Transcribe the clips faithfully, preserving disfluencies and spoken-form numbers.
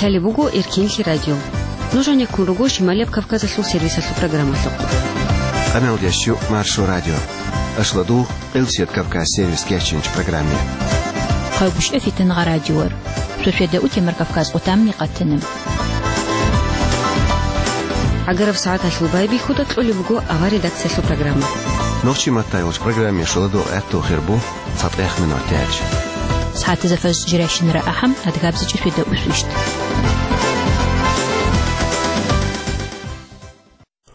Лъалеб буго Эркенлъи радио. Нуж гьанеккун руго Шималияб Кавказалъул сервисалъул программалъухъ. Къамел ящу Маршо радио. Ашладу Къилсият Кавказ сервис кеченч программе. Хъайгушев Фитнагъа радиор. Шошеда утемар Кавказ утамни къатанам. Агараб сагӀаталъул байбихьуда кьолеб буго авар редакциялъул программа. Нохчи маттайолч программе шоладу гӀатту хирбу. ЦатӀех минутач. СагӀатазда фажр жирайщинара ахӀам, адгабзичӀи шведа усвищт.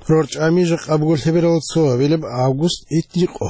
РорчӀами жакъа буго лъеберал цо авилеб август итникъо.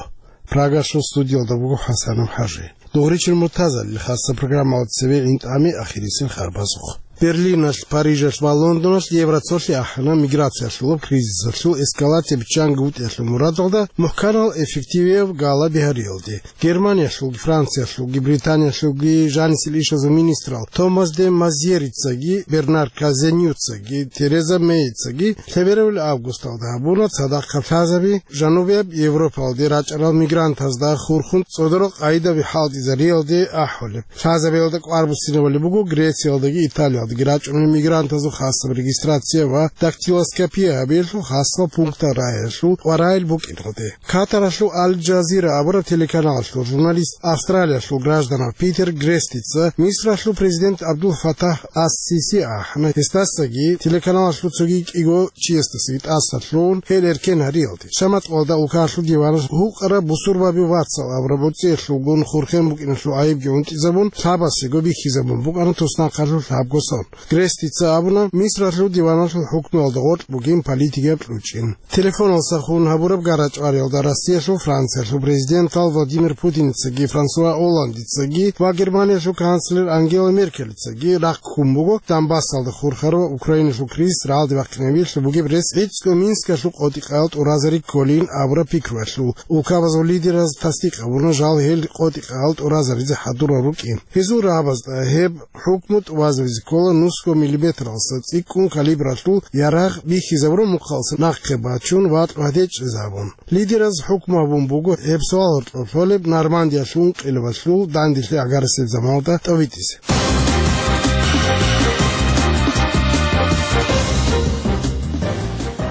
Прагалъул студиялда буго ХӀасанов ХӀажи. Дугъричил муртазалил хасса программалда цеве гӀинтӀами ахирисел харбазухъ. Берлиналъ, Парижалъ ва Лондоналъ Евроцолъи ахӀана миграциялъулаб кризисалъул эскалация биччанги вутӀиялъул мурадалда мухӀканал эффективияв гала бигьариялде. Германиялъулги, Франциялъулги, Британиялъулги жанисел ишазул министрал Томас де Мазьерицаги, Бернар Казенюцаги, Тереза Мейицаги лъеберабил августалда гьабуна цадахъ лъазаби Жанубияб Европалде рачӀарал мигрантазда хурхун цӀодорал къайдаби хӀалтӀизариялде ахӀулеб. Лъазабиялда кӀвар буссинабали буго Грециялдаги Италиялдаги рачӀунел мигрантазул хасаб регистрация ва дактилоскопия гьабиялъул хасал пунктал рагӀиялъул кӀварайил букӀиналде. Катаралъул Аль-Джазира абураб телеканалалъул журналист, Австралиялъул гражданав Питер Грестица Мисралъул президент Абдул Фатах ас-Сиси ахӀана, гьесдасаги телеканалалъул цоги кӀиго чиясдасаги тӀасалъугӀун гьел эркен гьариялде. Шамат къоялда улкаялъул диваналъ гьукъараб бусурбаби вацал абураб гӀуцӀиялъулгун хурхен букӀиналъул гӀайибги унтӀизабун, лъабасего бихьизабун букӀана туснахъалъулъ гьабго сон. Грестица абуна, Мисралъул диваналъул хӀукмуялда гъоркь бугин политикияб кьучӀин. Телефоналсахун гьабураб гара-чӀвариялда Россиялъул, Франциялъул президентал Владимир Путиницаги, Франсуа Олландицаги ва Германиялъул канцлер Ангела Меркелицаги рахъ ккун буго Донбассалда хурхарав Украиналъул кризис рагӀалде бахъинабиялъул бугеб рес гӀицӀго Минскалъул къотӀи-къаял тӀуразари кколин абураб пикруялъул. Улкабазул лидераз тасдикъ гьабуна жал гьел къотӀи-къаял тӀуразаризе хӀадурал рукӀин. Гьезул рагӀабазда гьеб хӀукму тӀубазабизе ккола нусго миллиметралса цӀикӀкӀун калибралъул ярагъ бихьизабураб мухъалса нахъе бачун ва гьадечӀезабун. Лидераз хӀукму гьабун буго гьеб суал гьоркьоб лъолеб Нормандиялъул ункъилабалъул данделъи агарасеб заманалда тӀовитӀизе.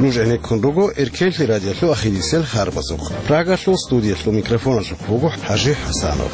Нуж гӀенеккун руго Эркенлъи радиолъул ахирисел харбазухъ. Прагалъул студиялъул микрофоналъухъ буго ХӀажи ХӀасанов.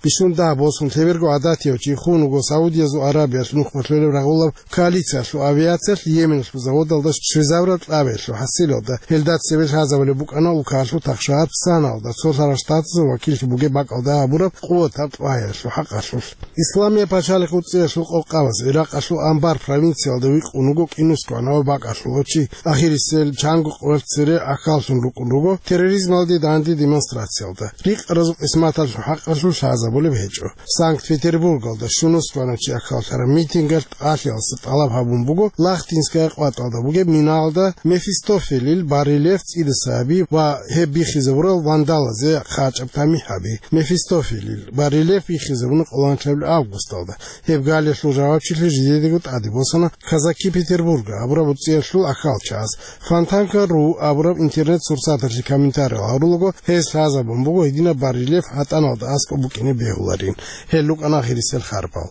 Бищун дагь босун лъеберго гӀадатияв чи хун вуго Саудиязул Аравиялъ нухмалъулеб рагъулаб коалициялъул авиациялъ Йеменалъул заводалда щвезабураб кьабиялъул хӀасилалда. Гьелда цеве лъазабулеб букӀана улкалъул тахшагьат Санаялда цолъарал штатазул вакиллъи бугеб бакӀалда гьабураб къуватаб тӀваялъул хӀакъалъулъ. Исламияб пачалихъ уцӀиялъул къокъабаз Иракъалъул Анбар провинциялда вихъун вуго кӀинусгоанав бакӀалъулав чи. Ахирисел чанго къоялъ цере ахьаллъун рукӀун руго терроризмалде данде демонстрациялда. Рикъаразул къисматалъул хӀакъалъулъ лъазабулеб гьечӀо. Санкт-Петербургалда щунусгоанав чи ахьаллъараб митингалъ тӀалъиялдаса тӀалаб гьабун буго Лахтинская къватӀалда бугеб минаялда Мефистофелил барельеф цӀидаса гьаби ва гьеб бихьизабурал вандалазе хъачӀаб тамихӀ гьаби. Мефистофелил барельеф бихьизабуна къоло анлъабилеб августалда. Гьеб галиялъул жавабчилъи жидедаго тӀаде босана Казаки Петербурга абураб уцӀиялъул ахьалчагӀаз. Фонтанка ру абураб интернет-сурсаталъе комментариял гьарулаго, гьез лъазабун буго гьединаб барельеф гьатӀаналда аскӀоб букӀине бегьуларин. Гьел рукӀана ахирисел харбал.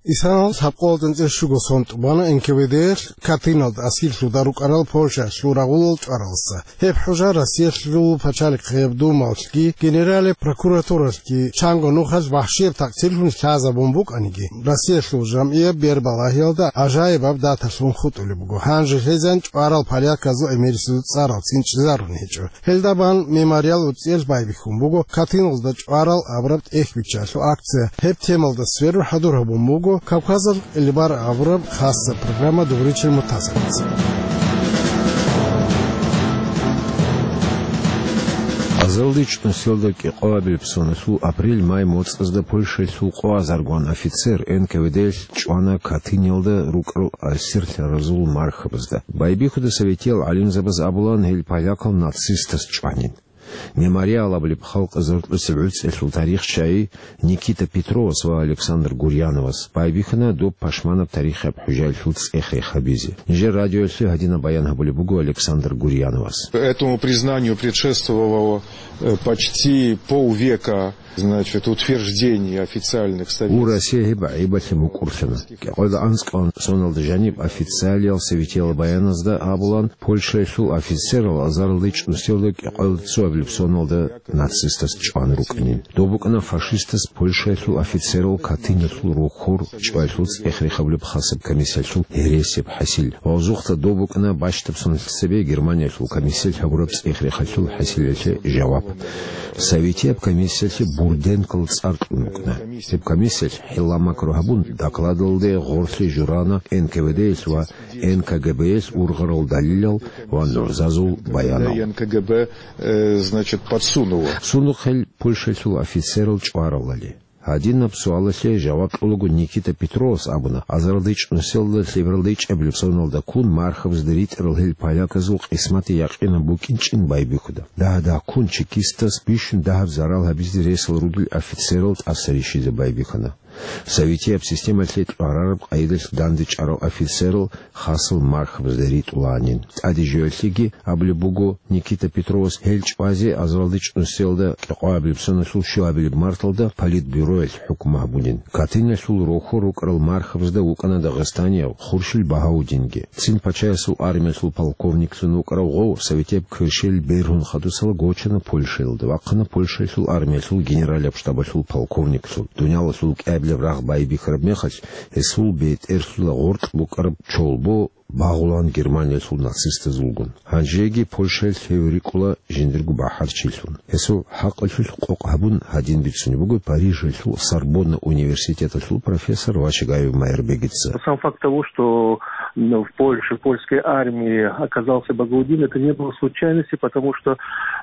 Исанал лъабкъоялда анцӀила щуго сон тӀубана Н К В Д-ялъ Катыналда асирлъуда рукӀарал Польшаялъул рагъулал чӀваралдаса. Гьеб хӀужа Россиялъул пачалихъияб Думалъги генералияб прокуратуралъги чанго нухалъ вахӀшияб такъсирлъун лъазабун букӀаниги, Россиялъул жамгӀияб бербалагьиялда гӀажаибаб даталъун хутӀулеб буго. Гьанже лъезан чӀварал поляказул эсерасул цӀарал цин чӀезарун гьечӀо. Гьелда бан мемориал уцӀиялъ байбихьун буго Катыналда чӀварал абураб тӀехь биччалъул акция. Гьеб темалда сверун хӀадур гьабун буго Кавказалъ Элибар абураб хасса программа дугъричил мутазабица. Азалдич нусиялда кӀикъоабилеб соналъул апрель-май моцӀазда Польшаялъул къоазаргван офицер Н К В Д-ялъ чӀвана Катыналда рукӀарал асирлъаразул мархабазда. Байбихьуда советиял гӀалимзабаз абулан, гьел полякал нацистаз чӀванин. «Мемориал» абулеб халкъ заркьусеб гӀуцӀиялъул тарихчияс Никита Петровас ва Александр Гурьяновас байбихьана доб пашманаб тарихияб хӀужаялъул цӀех-рех гьабизе. Нижер радиоялъе гьадинаб баян гьабулеб буго Александр Гурьяновас. Этому признанию предшествовало, э, почти полвека, значит, утверждение официальных советских. Гьеб гӀайибалъе мукӀурлъана. КӀикъоялда анцӀкӀалъулаб соналда жаниб официалиял советиял баяназда абулаан, Польшаялъул офицерал азаралда чӀунусиялда кӀикъоялда цоабилеб соналда нацистаз чӀван рукӀинин. Доб букӀана фашистаз Польшаялъул офицерал Катынялъул рохьор чӀваялъул цӀех-рех гьабулеб хасаб комиссиялъул гьересияб хӀасил. Ва гьезухъа доб букӀана бащдаб соналъ цебе Германиялъул комиссиялъ гьабураб цӀех-рехалъул хӀасилалъе жаваб. Советияб комиссиялъе Бурденкол цӀар кьун рукӀана. Гьеб комиссиялъ хӀилла-макру гьабун, докладалде гъорлъе журана Н К В Д-ялъ ва Н К Г Б-ялъ ургъарал далилал ва нугӀзазул баянал. Н К Г Б, э, значит, подсунуло. Сундухъ гьел Польшаялъул офицерал чӀваралали. Гьадинаб суалалъе жаваб кьолаго Никита Петровас абуна, азаралда чӀунусиялда лъебералда ичӀабилеб соналда ккун мархабазда ритӀарал гьел поляказул къисматги якъинаб букӀинчӀин байбихьуда. Дагь-дагьккун чекистаз бищун дагьаб зарал гьабизе ресал ругел офицерал тӀаса рищизе байбихьана. Советияб системалъе кьварараб къайдалъ дандечӀарал офицерал хасал мархабазда ритӀулаанин. ТӀаде жоялъеги абулеб буго, Никита Петровас гьел чӀвазе азаралда чӀунусиялда кӀикъоабилеб соналъул щуабилеб марталда Политбюроялъ хӀукму гьабунин. Катынялъул рохьор рукӀарал мархабазда вукӀана Дагъистанияб Хуршил Багьаудинги. Цин пачаясул армиялъул полковниклъун вукӀарав гъов советияб кверщел бергьун хадусала гочана Польшаялда, вахъана Польшаялъул армиялъул генералияб штабалъул полковниклъун. Дуниялалъул кӀиабилеб рагъ байбихьараб мехалъ, гьесул бетӀерлъула гъоркь букӀараб чолбо багъулаан Германиялъул нацистазулгун. Гьанжеги Польшаялъ гьев рикӀкӀула жиндирго бахӀарчилъун. Гьесул хӀакъалъулъ къокъ гьабун гьадин бицунеб буго Парижалъул Сорбонна университеталъул профессор Вачагаев Майрбегица. Сам факт того, что, м, в Польше, в польской армии оказался Багаудин, это не было случайности, потому что,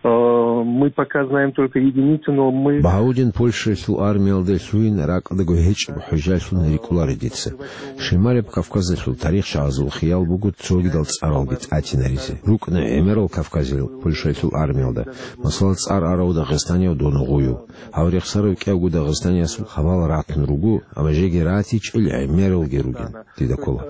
э, мы пока знаем только единицу, но мы. Багьаудин Польшаялъул армиялда лъугьин ракӀалдаго гьечӀеб хӀужалъун рикӀкӀунаро дица. Шималияб Кавказалъул тарихчагӀазул хиял буго цогидал цӀаралги тӀатинаризе. РукӀана гӀемерал кавказиял Польшаялъул армиялда, масала, цӀар арав Дагъистанияв Донугъуев. Гьав рехсарав кӀиявго Дагъистаниясул хабал ратун руго, амма жеги ратичӀел гӀемералги ругин, дида ккола.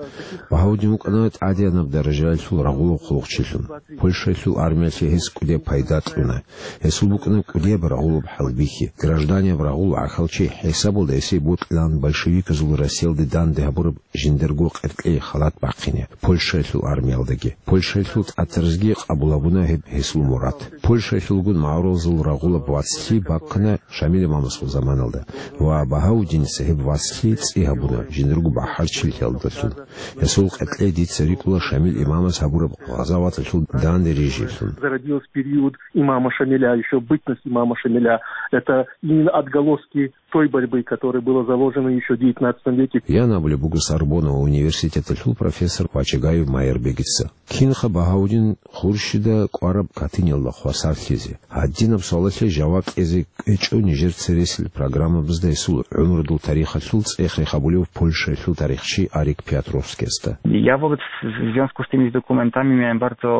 Багьаудин вукӀана тӀадеянаб даражаялъул рагъулаб хъулухъчилъун. Польшаялъул армиялъе гьес кӀудияб пайда кьуна. Гьесул букӀана кӀудияб рагъулаб хӀалбихьи. Гражданияб рагъул гӀахьалчи хӀисабалда гьесие бокьилаан большевиказул Россиялде данде гьабураб жиндирго къеркьей халат бахъине Польшаялъул армиялдаги. Польшаялъул тӀатаразги къабул гьабуна гьеб гьесул мурад. Польшаялъулгун магӀарулазул рагъулаб вацлъи бахъана Шамил имамасул заманалда ва Багьаудиница гьеб вацлъи цӀи гьабуна жиндирго бахӀарчилъиялдалъун. Гьесул къеркьей дица рикӀкӀула Шамил имамас гьабураб гъазаваталъул данде рижиялъун. Зародилась в период имама Шамиля, ещё бытность имама Шамиля. Это именно отголоски той борьбы, которая была заложена ещё в девятнадцатом веке. Ян абулеб буго Сорбонна университеталъул профессор Вачагаев Майрбегица. Кинха Багьаудин Хуршида кӀвараб Катынялда хвасарлъизе? Гьадинаб суалалъе жаваб кьезе кӀвечӀо нижер цересел программабазда гьесул гӀумрудул тарихалъул цӀех-рех гьабулев Польшаялъул тарихчи Арик Пиотровскиясда. Я вот в в związku z tymi dokumentami miałem bardzo,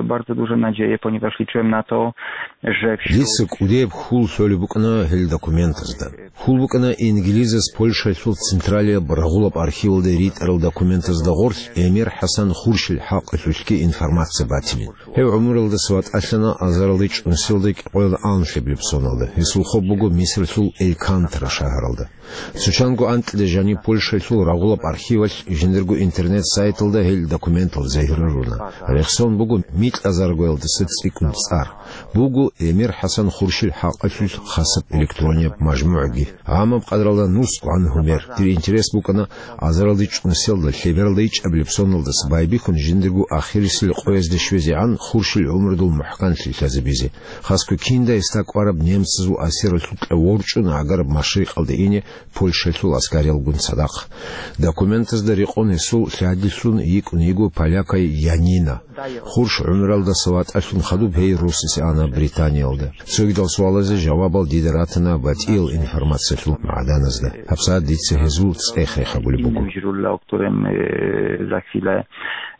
bardzo duże nadzieje, ponieważ liczyłem na to, że wśród. Дица кӀудияб хьул лъолеб букӀана гьел документазда. Хьул букӀана инглизас Польшаялъул централияб рагъулаб архивалда ритӀарал документазда гъорлъ Эмир ХӀасан Хуршил хӀакъалъулъги информация батилин. Гьев гӀумруялдаса ватӀалъана азаралда чӀунусиялда кӀикъоялда анлъабилеб соналда. Гьесул хоб буго Мисралъул Элькантра шагьаралда. Цо чанго анкьида жаниб Польшаялъул рагъулаб архивалъ жиндирго интернет-сайталда гьел документал загьирлъуна. Рехсон буго микьазаргоялдаса цӀикӀкӀун цӀар. Буго Эмир ХӀасан Хуршил хӀакъалъулъ хасаб электронияб мажмугӀги. Гьамаб къадралда нусго гӀан гьумер. Дир интерес букӀана азаралда чӀунусиялда лъебералда ичӀабилеб соналдаса байбихьун жиндирго ахирисел къоязде щвезегӀан Хуршил гӀумрудул мухӀканлъи лъазабизе. Хасго кинда гьесда кӀвараб немцазул асиралъукьа ворчӀун гӀагараб машрикъалде ине Польшаялъул аскариялгун цадахъ. Документазда рекъон гьесул лъадилъун йикӀун йиго полякай Янина. Хурш гӀумралдаса ватӀалъун хадуб гьей росасе ана Британиялда. Цогидал суалазе жавабал дида ратана батӀиял информациялъул магӀданазда. ГьабсагӀат дица гьезул цӀех-рех гьабулеб буго. Innym źródle, o którym, e, za chwilę,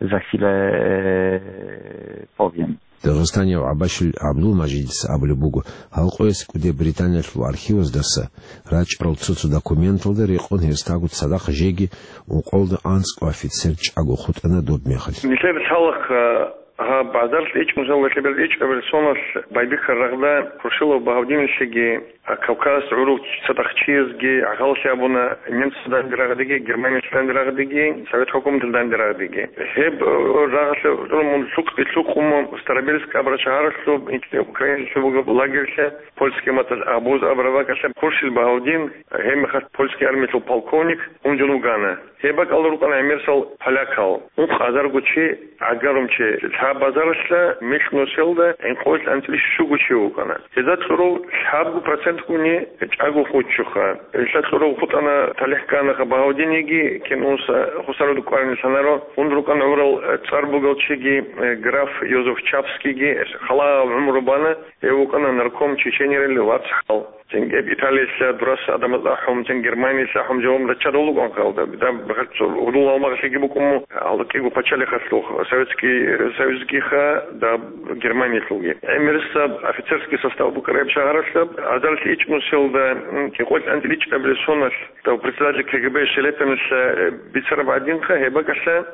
za chwilę, e, powiem. Дагъистанияв ГӀабашил ГӀабдулмажидица абулеб буго, гьал къояс кӀудеб Британиялъул архиваздаса рачӀарал цо-цо документалда рекъон гьесдаго цадахъ жеги ункъоялда анцӀго офицер чӀаго хутӀана доб мехалъ. Нилъер лъалахъ, гьаб азарилъ ичӀнусиялда лъеберилъ ичӀабилеб соналъ байбихьараб рагъда Хуршилов Багьавдиналъеги, Кавказ гӀурул цадахъ чиясги гӀахьаллъи абуна, немцазда данде рагъдеги, Германиялъ данде рагъдеги, Совет хӀукуматалда данде рагъдеги. Гьеб, э, рагъалъе гӀурмун лъукъ-, лъукъун Старобельск абураб шагьаралъуб, Украиналъуб бугеб лагерьлъа, польский маталъ Абуз абураб бакӀалъа Хуршил Багьавдин, гьеб мехалъ польский армиялъул полковник, унжун вугана. Гьеб бакӀалда рукӀана гӀемерисел полякал, ункъазарго чи, гӀагарумчи. Лъабазаралъа микьнусиялда гӀинкъоялъ анцӀила щуго чи вукӀана. Гьезда кьурав лъабго процентгуни чӀаго хутӀчӀоха. Гьелъа кьурав хутӀана, талихӀ кканаха Багьавдиниги, кинуса хусаруда кӀварин лъанаро, ун рукӀана гӀурал цӀар бугел чиги, э, граф Йозеф Чапскийги, халаяб гӀумру бана, гьев вукӀана нарком Чеченерил вацгӀал. Цинги гьеб Италиялъа дурас гӀадамаз ахӀун, цин Германиялъа ахӀун жаваб раччарал рукӀун халда. Даб бахъал цо гьудул гьалмагълъиги букӀун мун, гьалда кӀиго пачалихъалъухъ, Советский Союзгиха, даб Германиялъулги. ГӀемерисаб офицерский состав букӀараб шагьаралъаб, азарилъ ичӀнусиялда, м, кӀикъоялъ анцӀила ичӀабилеб соналъ, дав председатель КГБ Шелепиналъа, э, бицараб гӀадинха, гьеб бакӀалъа,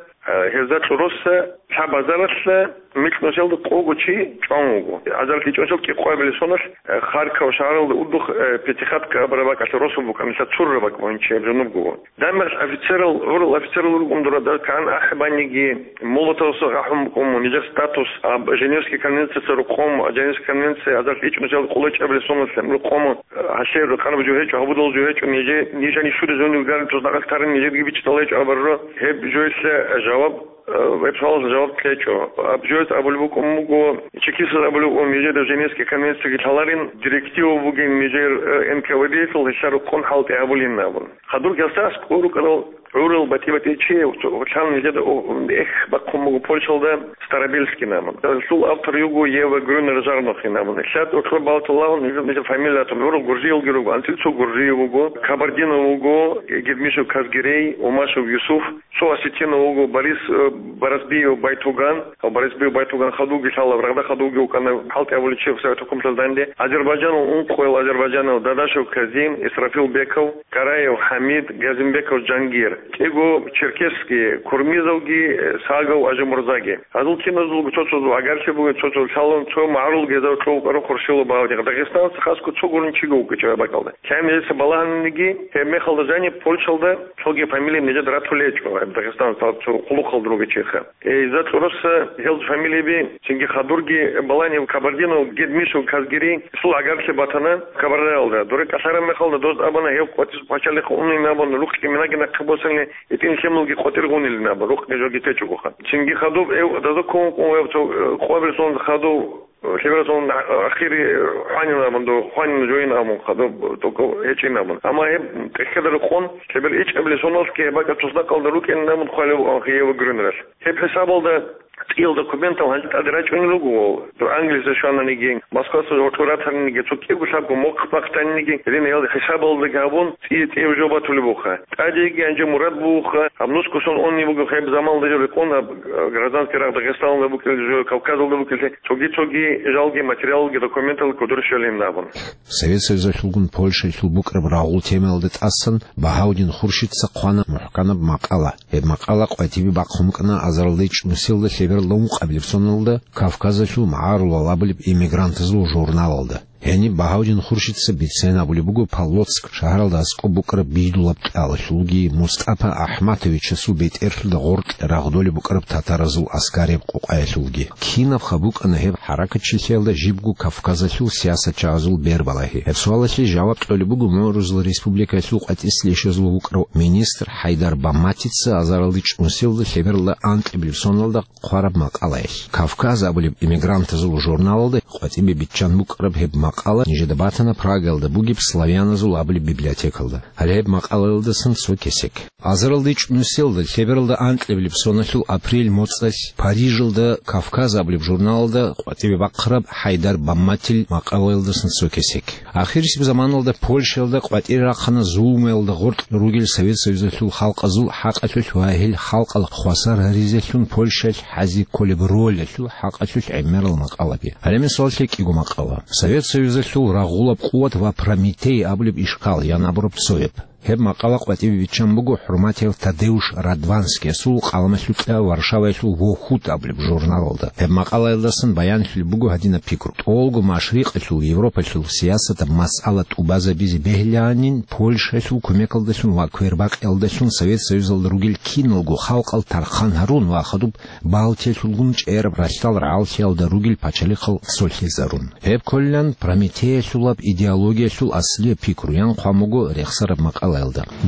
Гьезда кьуруса лъабазаралъа микьнусиялда къого чи чӀван вуго. Азарилъ ичӀнусиялда кӀикъоябилеб соналъ, э, Харьков шагьаралда удухъ, э, Пятихатка абураб бакӀалъа росулъ букӀана, лъа цурра бакӀ бугин чи гьеб жунубго. Дагьаб мехалъ офицерал, гӀурал офицерал рукӀун дура, дагь кан ахӀи баниги, Молотовас ахӀун букӀун мун, нижер статус, аб Женевский конвенцияса рукъун, Женевский конвенция азарилъ ичӀнусиялда къоло чӀабилеб соналъ рукъун, Гьалъе рукъараб жо гьечӀо, гьабулеб жо гьечӀо, нижер, нижани щури зонив гарин туснакъалъ тарин, нижерги бичӀчӀала гьечӀо абураб. Гьеб жоялъе жаваб, э, гьеб суалалъе жаваб кьечӀо. Гьаб жоялъ абулеб букӀун буго, чекистаз абулеб букӀун, нижер Женевский конвенциялги лъаларин, директива бугин нижер, э, НКВД-ялъул, гьелъа рукъун хӀалтӀи гьабулин абун. Хадур гьелдаса аскӀор рукӀарал гӀурал батӀи-батӀи чи, гьелъан нижеда, о, эх, бахъун буго Польшалда, Старобельский абун. Гьелъул автор йиго Ева Грюнер-Жарнохин абун. Лъад уркьоб балтулагьун нижер, нижер фамилиятун гӀурал гуржиялги руго, анцӀила цо гуржи вуго, Кабардинов вуго, Гедмишев Казгерей, Умашев Юсуф, цо осетинов вуго, Борис, э, Барасбиев Байтуган, а Барасбиев Байтуган хадубги лъала, рагъда хадубги вукӀана, хӀалтӀи гьабулев чи Совет хӀукуматалда данде, азербайджанал ункъоял азербайджанал Дадашев Казим, Исрафил Беков, Караев ХӀамид, Газимбеков Жангир. КӀиго черкесский, Курмизовги, Сагов Ажимурзаги. Гьазул киназулго цо-цо агарлъи бугин, цо-цо лъалун, цо магӀарул гьезда кьов вукӀарав Хуршилов Багьавдин. Дагъистаналъ хасго цо гурин чиго вукӀинчӀо гьеб бакӀалда. Лъай нижеца балагьаниги, гьеб мехалда жаниб Польшалда цоги фамилия нижеда ратулел гьечӀо, гьеб Дагъистаналъ цо къулухъалда ругел чиясда. Гьезда кьуруса гьел фамилияби цинги хадурги балагьаниб Кабардинов, Гедмишев Казгерей, гьесул агарлъи батана Кабардаялда. Дуре кӀалъараб мехалда доз абуна гьев къватӀир пачалихъ унин абун, рукъги минаги нахъе босани, гьитӀин лъималги къватӀир гъунилин абун, рукъги жоги течӀогоха. Цинги хадуб гьев даза ккун вукӀун, гьев цо, э, къоабилеб соналда хадуб, э, лъебералда соналда ахири хванин абун, дов хванин жойин абун хадуб, только гьечӀин абун. Амма гьеб тӀехьалда рекъон, лъебералда ичӀабилеб соналъги гьеб бакӀалда туснакъалда рукӀинин абун хъвалеб букӀанха Ева Грюнералъ. Гьеб хӀисабалда цӀиялда документал гьанже тӀаде рачӀунел руго, дов Англиялде щвананиги, Москваялде гьоркьор ратаниги, цо кӀиго лъабго мохъ бахъаниги, гьединал хӀисабалдаги гьабун, цӀи-цӀияб жо батулеб буха. ТӀадеги гьанже мурад буха, гьаб нусго сон унеб буго, гьеб заманалда жо рекъон, гьаб, э, гражданский рагъ Дагъистаналда букӀине жо, Кавказалда букӀине, цоги-цоги жалги, материалги, документалги кодор щвелин абун. Совет Союзалъулгун Польшаялъул букӀараб рагъул темаялда тӀасан Багьавдин Хуршидца хъвана мухӀканаб макъала. Гьеб макъала къватӀибе бахъун букӀана азарилда ичӀнусиялда лъебералда ункъабилеб соналда Кавказалъул магӀарулал абулеб эмигрантазул журналалда. Гьениб Багьавдин Хуршидца бицен абулеб буго Полоцк шагьаралда аскӀоб букӀараб Бидулаб кьалалъулги МустӀапа АхӀматовичасул бетӀерлъуда гъоркье рагъдолеб букӀараб татаразул аскараб къокъаялъулги. Кинабха букӀана гьеб хӀаракатчилъиялда жибго Кавказалъул сиясатчагӀазул бербалагьи? Гьеб суалалъе жаваб кьолеб буго МугӀрузул Республикаялъул къватӀислъи ишазулев вукӀарав министр ХӀайдар Баматица азарилда ичӀнусиялда лъебералда анкьабилеб соналда хъвараб макъалаялъ. Кавказ абулеб эмигрантазул журналалда къватӀибе биччан букӀараб гьеб Макъала нижеда батана Прагаялда бугеб славяназул абулеб библиотекалда. Гьале гьеб макъалаялдасан цо кесек. Азаралда ичӀнусиялда лъебералда анкьабилеб соналъул апрель моцӀалъ Парижалда «Кавказ» абулеб журналалда къватӀибе бахъараб Хайдар Бамматил макъалаялдасан цо кесек. Ахирисеб заманалда Польшаялда къватӀире рахъана зулмуялда гъоркь ругел Совет Союзалъул халкъазул хӀакъалъулъ ва гьел халкъал хвасар гьаризелъун Польшаялъ хӀазе кколеб ролалъул хӀакъалъулъ гӀемерал макъалаби. Гьале мисаллъи кӀиго макъала. Совет Союзалъул рагъулаб къуват ва Прометей абулеб ишкал, ян абураб цояб. Гьеб макъала къватӀибе биччан буго хӀурматияв Тадеуш Радванскиясул къаламалъукьа Варшаваялъул «Вохут» абулеб журналалда. Гьеб макъалаялдасан баянлъулеб буго гьадинаб пикру: тӀолго машрикъалъул Европалъул сиясатаб масъала тӀубазабизе бегьилаанин Польшаялъул кумекалдалъун ва квербакъиялдалъун Совет Союзалда ругел киналго халкъал тархъан гьарун ва хадуб Балтиялъулгун чӀераб ралъдал рагӀаллъиялда ругел пачалихъал цолъизарун. Гьеб кколилан Прометеялъулаб идеологиялъул аслияб пикруян хъван буго рехсараб макъалаялда.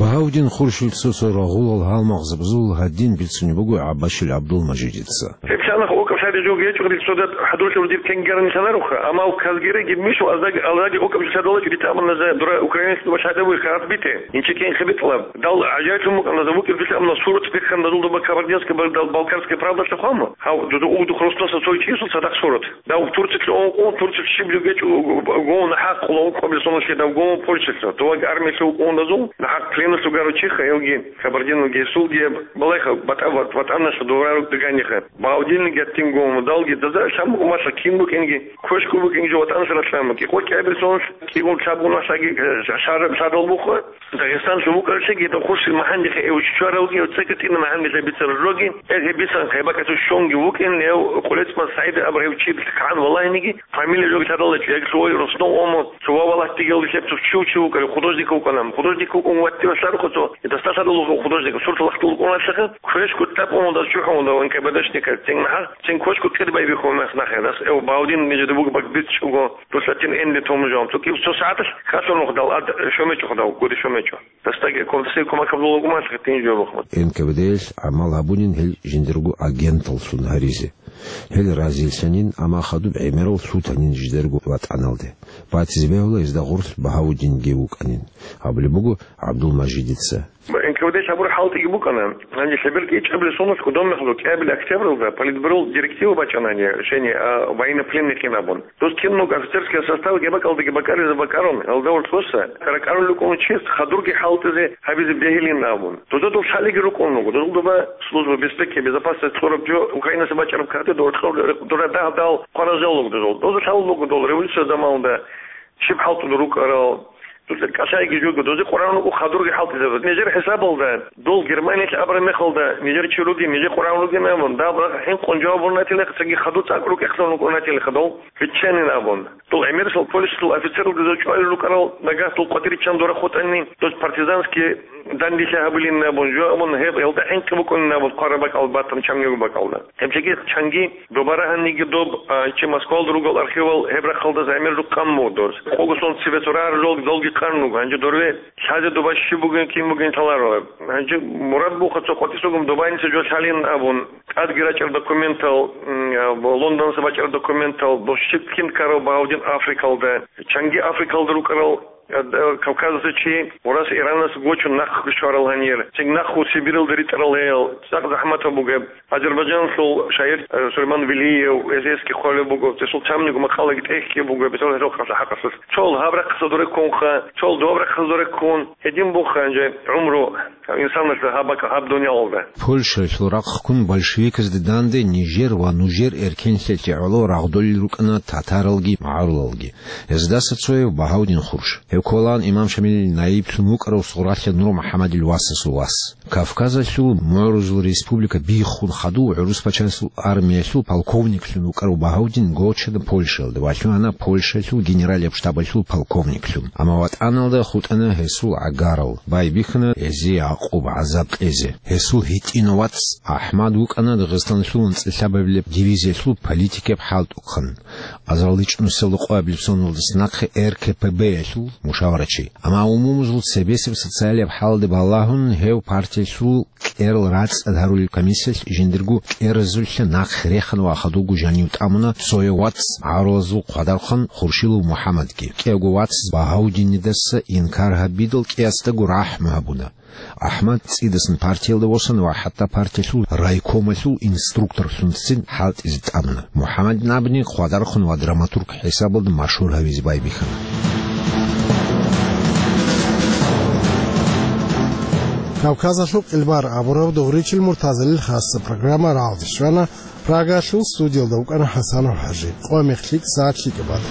Багьавдин Хуршил цо-цо рагъулал гьалмагъзабазул гьадин бицунеб буго ГӀаббашил ГӀабдулмажидица. Гьеб лъанах окӀаб лъади жо гьечӀо, рицода хӀадурлъи урдир кенгерни лъанаруха, амма казгереги мишо аздаги, аллаги окӀаб лъадалач ритӀаман наза дура Украиналъ башхӀадабуй хадбите, инчи кенхи битӀлаб. Дал гӀажаиблъун букӀана, за вукӀер дилъа амна сурат бихьан дазул доба Кабардинская, Бал-, Балкарская правдалъа хъвама. Гьав, дуда угдухъ росдаса цой чиясул цадахъ сурат. Дав Турциялъ ун, ун, Турциялъ щиб жугечӀ у-, у-, гов нахӀахъ хъула ункъабилсунашлъи дав гов Польшалъа. Туваг армиялъа вукӀун дазул, нахӀахъ пленалъ вугаро чиха, гьевги, Кабардиналги, гьесулги, балайха, батӀа-, ват-, ватӀаналъа довраругӀдиганихъа. Багьавдинги гьаттин гов, далги, даза лъан букӀун малъа кин букӀинги, квешкун букӀинги жо ватӀаналъа ралъан букӀи. Къо кӀиабилсунашлъ кӀигун лъабгун вахъаги, э, шар-, шарал бухъа. Дагъистанлъун вукӀарчӀеги, дов Хуршил магьандихъе эвччваралги, цеги тӀина магьандилъа бицарал жоги, эгьеб бисан хъайбакӀалъув щонги вукӀин, гьев Къулецман СагӀид абурав чи кагӀан валагьиниги, фамилия жоги лъадалачӀо, яги лъугьай роснов омо, цо ва валлагь дигелги лъебцев чи вукӀарав, художник вукӀана. Художник вукӀун ватти васарухъа цо, дасталъадал вукӀун художник, сурт лахтул вукӀуналъаха, квеш гутӀаб омо даз чухӀун дав НКВДшниказ, цин нахъа, цин квеш гутӀир байбихьун мехнахъе, дас эв Баудин нижеда бугеб бакӀ бицӀчӀого, дусатин энде томужавун. Цо кив цо сагӀаталъ хасун вухдал, ад шомечӀо худав, гури шомечӀо. Дастаги квалсей кумак гьабулалгумалъ гъитин жо бухъун. НКВД-ялъ гӀамал гьабунин гьел жиндирго агенталлъун гьаризе. Гьел разилъанин, амма хадуб гӀемерал лъутанин жидерго ватӀаналде. Батизе бегьула гьезда гъорлъ Багьавудинги вукӀанин, абулеб буго ГӀабдулмажидица. НКВД-лъ гьабураб хӀалтӀиги букӀана. Гьанже лъеберги ичӀабилеб соналъ кодомехалъ кӀиабилеб октябралда политбюрол директива бачӀана гьанже, решение, а, военнопленныйхъин абун. Дос киналго офицерский составги бакӀалдаги бакӀаризе бакӀарун, гьалда гьоркьоса ракӀарулел рукӀун чияс хадурги хӀалтӀизе гьабизе бегьилин абун. Дозда дол лъалиги рукӀун руго. Дозул доба служба безпеки, безопасность кьураб жо Украинаса бачӀараб кагътӀи доркьор дура дагь-дагь хъваражал руго дозул. Доза лъалун буго дол революция заманалда щиб хӀалтӀун рукӀарал. Доза кӀалъайги жого, дозе къваригӀун руго хадурги хӀалтӀизабаз. Нижер хӀисабалда, дол Германиялъ абураб мехалда, нижер чи ругин, нижер къваригӀун ругин абун, дагь хӀинкъун жаваб гьунатилаха, цаги хадур цӀакъ рукӀехъан рукӀунатилаха дол. Биччанин абун. Дол гӀемерисел Польшалъул офицералги доза чӀвалел рукӀарал, нагагь дол къватӀир риччан дора хутӀанин, дос партизанский дандилъи гьабилин абун, жо абун, гьеб гьелда хӀинкъи букӀунин абун, хъвараб бакӀал батун чамниго бакӀалда. Гьеб жеги чанги доба рагьаниги доб, а, чи Москвалда ругел архивал гьеб рахъалдаса гӀемер рукъан буго дос. Къого сон цебе цо рагьарал долги къан руго, гьанже дорве лъазе доба щиб бугин, кин бугин лъаларо. Гьанже мурад буха цо къватӀисагун добайниса жо лъалин абун. ТӀадги рачӀарал документал, м, а, Лондонаса бачӀарал документал, дос щиб кин ккарав Багьавдин Африкалда, чанги Африкалда рукӀарал, а, д-, Кавказалъа чи Урас Иранас гочун нахъ щварал гьанир, цинги нахъ Сибиралда ритӀарал гьел, цӀакъ захӀматаб бугеб. Азербайджаналъул шагьир, а, Сулейман Велиев, эсески хъвалеб буго, цесул чамниго макъалаги тӀехьги буго, бетал гьелъул хъалъа хӀакъалъулъ. Цол гьаб рахъаса дуреккунха, цол доб рахъаса дуреккун, гьедин буха гьанже гӀумру. Инсанас гьаб бакӀ-, гьаб дуниялалда. Польшаялъул рахъ ккун большевиказде данде нижер ва нужер эркенлъиялъе гӀоло рагъдолел рукӀана татаралги магӀарулалги. Гьездаса цояв Багьавдин Хурш. Гьев кколаан имам Шамилил наиблъун вукӀарав Сугъралъа Нур МухӀаммадил васасул вас. Кавказалъул мугӀрузул республика биххун хадув гӀурус пачалъул армиялъул полковниклъун вукӀарав Багьавдин гочана Польшаялда ва лъугьана Польшаялъул генералияб штабалъул полковниклъун. Амма ватӀаналда хутӀана гьесул гӀагарал, байбихьана гьезие гӀакъуба, гӀазаб кьезе. Гьесул гьитӀинав вац АхӀмад вукӀана Дагъистаналъул анцӀила лъабабилеб дивизиялъул политикияб хӀалтӀухъан, азарилда ичӀнусиялда къоабилеб соналдаса нахъе РКПБ-ялъул мушаварачи. Амма умумузул цебесеб социалияб хӀалде балагьун гьев партиялъул кӀерал рацӀцӀад гьарулел комиссиялъ жиндирго кӀеразулъа нахъ рехана ва хадубго жанив тӀамуна цояв вац гӀавралазул хъвадархъан Хуршилов МухӀаммадги. КӀиявго вац Багьаудинидаса инкар гьабидал кӀиясдаго рахӀму гьабуна. АхӀмад цӀидасан партиялда восана ва хӀатта партиялъул райкомалъул инструкторлъунцин хӀалтӀизе тӀамуна. МухӀаммадин абуни хъвадархъун ва драматург хӀисабалда машгьур гьавизе байбихьана. Кавказалъул къилбар абураб дугъричил муртазалил хасса программа рагӀалде щвана. Прагалъул студиялда вукӀана ХӀасанов ХӀажи. Къо-мех лъикӀ, сагӀат лъикӀаб бада.